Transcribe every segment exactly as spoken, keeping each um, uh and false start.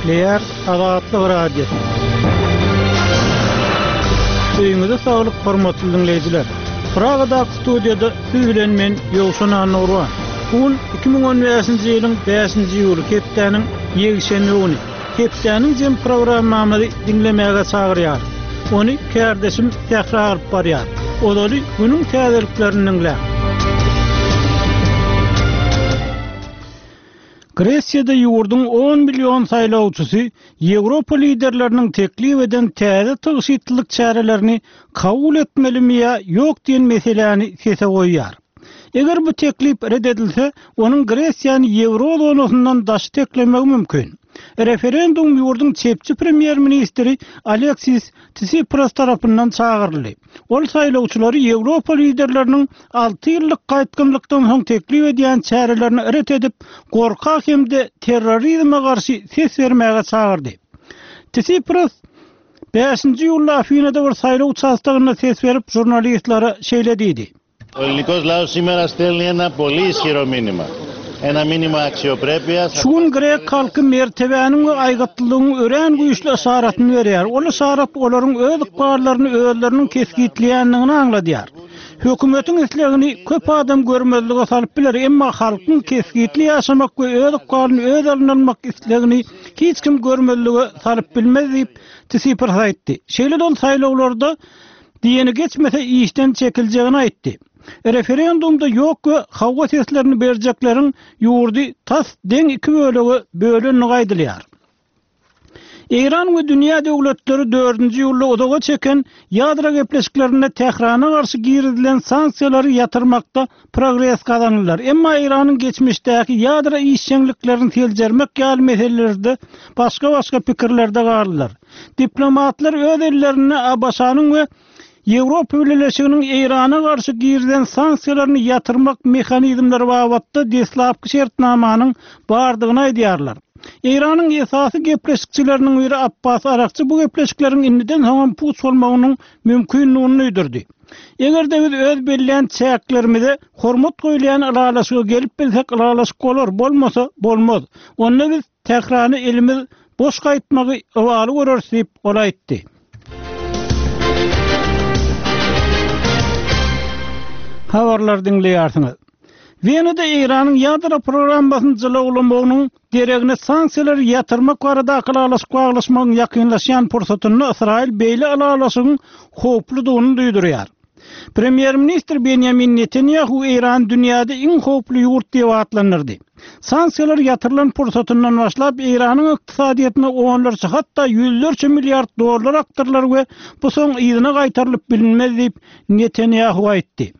Gepleýär Azatlyk Radiosy. Öýüňize saglyk hormatly diňleýjiler. Pragadaky studiýada siz bilen men Ýowşan Annagurban. Bu gün iki müň on bäşinji ýylyň bäşinji iýuly hepdäniň ýekşenbe güni. Hepdäniň jem programmamyzy diňlemäge çagyrýar. Ony kärdeşim Sähra alyp barýar. Ozaly günüň täzeliklerini diňläň. Gresiýada ýurduň on million saýlawçysy Ýewropa liderleriniň teklip eden täze tygşytlylyk çärelerini kabul etmelimi ýa ýok diýen meseläni sese goýýar. Eger bu teklip red edilse, onuň Gresiýany ýewro zonasyndan daş teklemegi mümkin. Referendum ýurduň çepçi premýer-ministri Aleksis Tsipras tarapyndan çagyryldy. Ol saýlawçylary Ýewropa liderleriniň alty ýyllyk gaýtgynlykdan soň teklip edýän çärelerini ret edip, gorka hem-de terrorizme garşy ses bermäge çagyrdy. Tsipras bäşinji iýulda Afinada bir saýlaw uçastogynda ses berip, žurnalistlere şeýle diýdi. Ο ελληνικός λαός σήμερα στέλνει ένα πολύ ισχυρό μήνυμα. Ένα μήνυμα αξιοπρέπειας. Şu gün grek halky mertebäniň we aýgytlylygyň örän güýçli yşaratyny berýär. Ol yşarat olaryň öz ykballaryny özleriniň kesgitleýändigini aňladýar. Hökümetiň islegini köp adam görmezlige salyp biler, emma halkyň kesgitli ýaşamak we öz ykbalyny öz eline almak islegini hiç kim görmezlige salyp bilmez diýip Tsipras aýtdy. Şeýle-de ol saýlawlarda diýeni geçmese işden çekiljegini aýtdy. Referendumda ýok we hawa seslerini berjekleriň ýurdy tas deň iki bölege bölenligi aýdylýar. Eýran we dünýä döwletleri dördünji ýylda uzaga çeken ýadro gepleşiklerinde Tährana garşy girizilen sanksiýalary ýatyrmakda progres gazandylar. Emma Eýranyň geçmişdäki ýadro işjeňliklerini seljermek ýaly meselelerde başga-başga pikirlerde galdylar. Diplomatlar öz ellerinde A B Ş-nyň we Ýewropa Bileleşiginiň Eýrana garşy girizilen sanksiýalaryny ýatyrmak mehanizmleri babatda deslapky şertnamanyň bardygyny aýdýarlar. Eýranyň esasy gepleşikçileriniň biri Abbas Arakçy bu gepleşikleriň indiden soňam puç bolmagynyň mümkinligini duýdurdy. Eger-de biz öz belleýän çäklerimize hormat goýulýan ylalaşyga gelip bilsek, ylalaşyk bolar, bolmasa bolmaz. Onda biz Tährany elimiz boş gaýtmagy ybaly göreris diýip ol aýtdy. Habarlar diňleýärsiňiz. Wenada Eýranyň ýadro programmasyny jylawlamagynyň deregine sanksiýalary ýatyrmak baradaky ylalaşyk baglaşmagyň ýakynlaşýan pursatynda Ysraýyl beýle ylalaşygyň howpludygyny duýdurýar. Premýer-ministr Benjamin Netanyahu Eýran dünýäde iň howply ýurt diýip atlandyrdy. Sanksiýalar ýatyrylan pursatyndan başlap Eýranyň ykdysadyýetine onlarça hatda ýüzlerçe milliard dollar akdyrylar we bu soň yzyna gaýtarylyp bilinmez diýip Netanyahu aýtdy.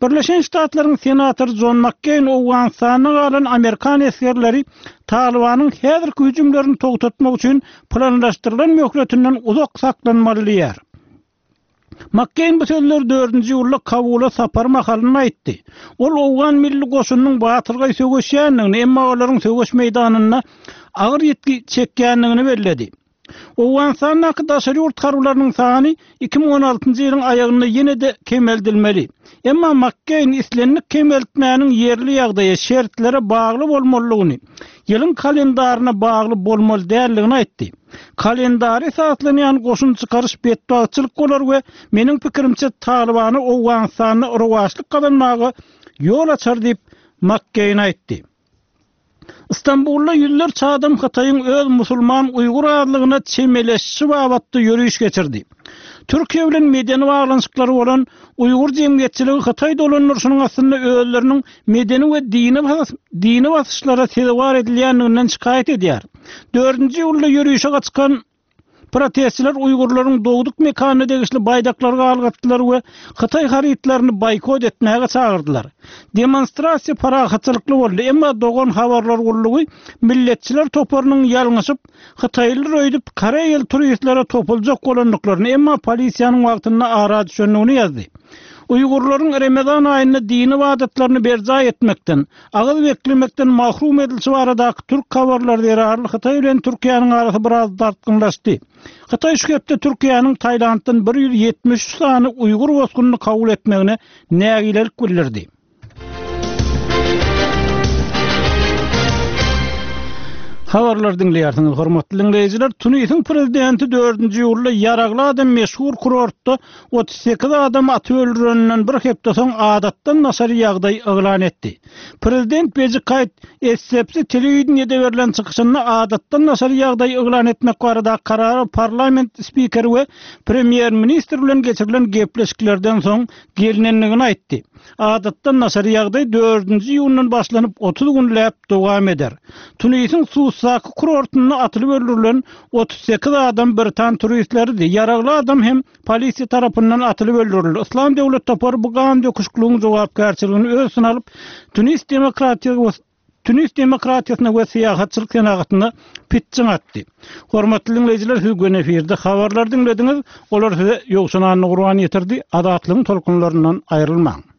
Birleşen Ştatlaryň senatory John McCain Owganystanda galan Amerikan esgerleri Talibanyň häzirki hüjümlerini togtatmak üçin planlaşdyrylan möhletinden uzak saklanmaly diýär. McCain bu sözleri dördünji ýylda Kabula sapar mahalynda aýtdy. Ol Owgan milli goşunynyň batyrgaý söweşýändigini, emma olaryň söweş meýdanynda agyr ýitgi çekýändigini belledi. Owganystandaky daşary ýurt harbylarynyň sany iki müň on altynjy ýylyň aýagynda ýene-de kemeldilmeli. Emma McCain islendik kemeltmäniň ýerli ýagdaýa, şertlere bagly bolmalydygyny, ýylyň kalendaryna bagly bolmaly däldigini aýtdy. Kalendary esaslanýan goşun çykaryş betbagtçylyk bolar we meniň pikirimçe Talibany Owganystanda rowaçlyk gazanmaga ýol açar diýip McCain aýtdy. Istanbulda ýüzlerçe adam Hytaýyň öz musulman Uýgur azlygyna çemeleşişi babatda ýörüş geçirdi. Türkiýe bilen medeni baglanyşyklary bolan Uýgur jemgyýetçiligi Hytaý dolandyryşynyň astynda özleriniň medeni we dini bas-, dini basyşlara sezewar edilýändiginden şikaýat edýär. Dördünji ýylda ýörüşe çykan protestçiler Uýgurlaryň dogduk mekanyna degişli baýdaklary galgatdylar we Hytaý harytlaryny boýkot etmäge çagyrdylar. Demonstrasiýa parahatçylykly boldy, emma Dogan habarlar gullugy milletçiler toparynyň ýalňyşyp Hytaýlylar öýdüp Koreýaly turistlere topuljak bolandyklaryny, emma polisiýanyň wagtynda ara düşendigini ýazdy. Uýgurlaryň Ramazan aýynda dini ibadatlaryny berjaý etmekden, agyz beklemekden mahrum edilişi baradaky türk habarlary zerarly Hytaý bilen Türkiýäniň arasy biraz dartgynlaşdy. Hytaý şu hepde Türkiýäniň Tailanddan bir ýüz ýetmiş üç sany Uýgur bosgunyny kabul etmegine nägilelik bildirdi. Habarlary diňleýärsiňiz, hormatly diňleýjiler. Tunisiň prezidenti dördünji iýulda ýaragly adam meşhur kurortda otuz sekiz adamy atyp öldüreninden bir hepde soň adatdan daşary ýagdaý yglan etdi. Prezident Beji Kaýt Essebsi telewideniýede berlen çykyşynda adatdan daşary ýagdaý yglan etmek baradaky karara parlament spikeri we premýer-ministr bilen geçirilen gepleşiklerden soň gelnendigini aýtdy. Adatdan daşary ýagdaý dördünji iýundan başlanyp, otuz günläp dowam eder. Tunisiň Susdaky kurortynda atylyp öldürilen otuz sekiz adam britan turistleridi. Ýaragly adam hem polisiýa tarapyndan atylyp öldürildi. Yslam döwlet topary bu gan döküşikligiň jogapkärçiligini öz üstüne alyp, Tunis demokratiýa Tunis demokratiýasyna we syýahatçylyk senagatyna pitjiň atdy. Hormatly diňleýjiler, siz göni efirde habarlary diňlediňiz. Olary size Ýowşan Annagurban ýetirdi. Azatlygyň tolkunlaryndan aýrylmaň.